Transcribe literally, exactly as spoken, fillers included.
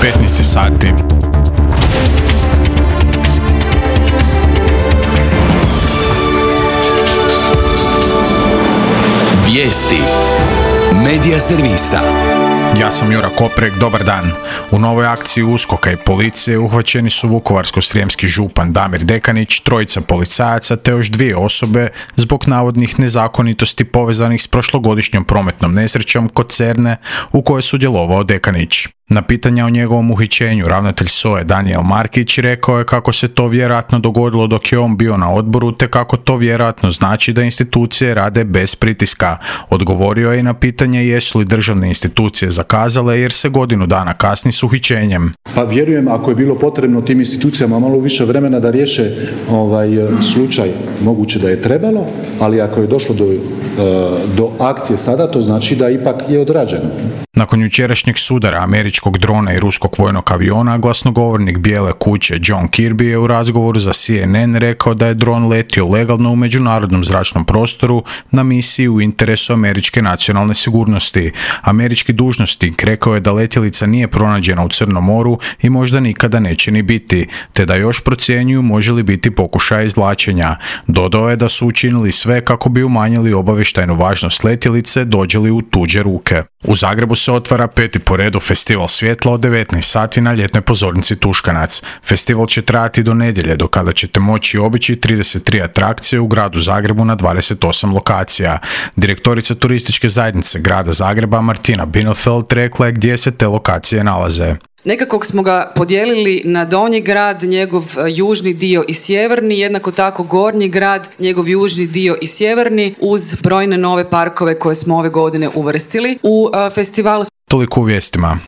petnaest sati. Vijesti Medija servisa. Ja sam Jura Koprek, dobar dan. U novoj akciji USKOK-a i policije uhvaćeni su vukovarsko-srijemski župan Damir Dekanić, trojica policajaca te još dvije osobe zbog navodnih nezakonitosti povezanih s prošlogodišnjom prometnom nesrećom kod Cerne u kojoj je sudjelovao Dekanić. Na pitanja o njegovom uhićenju ravnatelj S O A-e Danijel Markić rekao je kako se to vjerojatno dogodilo dok je on bio na odboru te kako to vjerojatno znači da institucije rade bez pritiska. Odgovorio je i na pitanje jesu li državne institucije zakazale jer se godinu dana kasni s uhićenjem. Pa vjerujem ako je bilo potrebno tim institucijama malo više vremena da riješe ovaj slučaj, moguće da je trebalo, ali ako je došlo do, do akcije sada, to znači da ipak je odrađeno. Nakon jučerašnjeg sudara američkog drona i ruskog vojnog aviona, glasnogovornik Bijele kuće John Kirby je u razgovoru za C N N rekao da je dron letio legalno u međunarodnom zračnom prostoru na misiji u interesu američke nacionalne sigurnosti. Američki dužnosnik rekao je da letjelica nije pronađena u Crnom moru i možda nikada neće ni biti, te da još procjenjuju može li biti pokušaj izvlačenja. Dodao je da su učinili sve kako bi umanjili obavještajnu važnost letjelice dođe li u tuđe ruke. U Zagrebu se otvara peti po redu Festival svjetla od devetnaest sati na ljetnoj pozornici Tuškanac. Festival će trajati do nedjelje, do kada ćete moći obići trideset tri atrakcije u gradu Zagrebu na dvadeset osam lokacija. Direktorica turističke zajednice grada Zagreba Martina Binofeld rekla je gdje se te lokacije nalaze. Nekako smo ga podijelili na donji grad, njegov južni dio i sjeverni, jednako tako gornji grad, njegov južni dio i sjeverni, uz brojne nove parkove koje smo ove godine uvrstili u festivalu. Toliko u vijestima.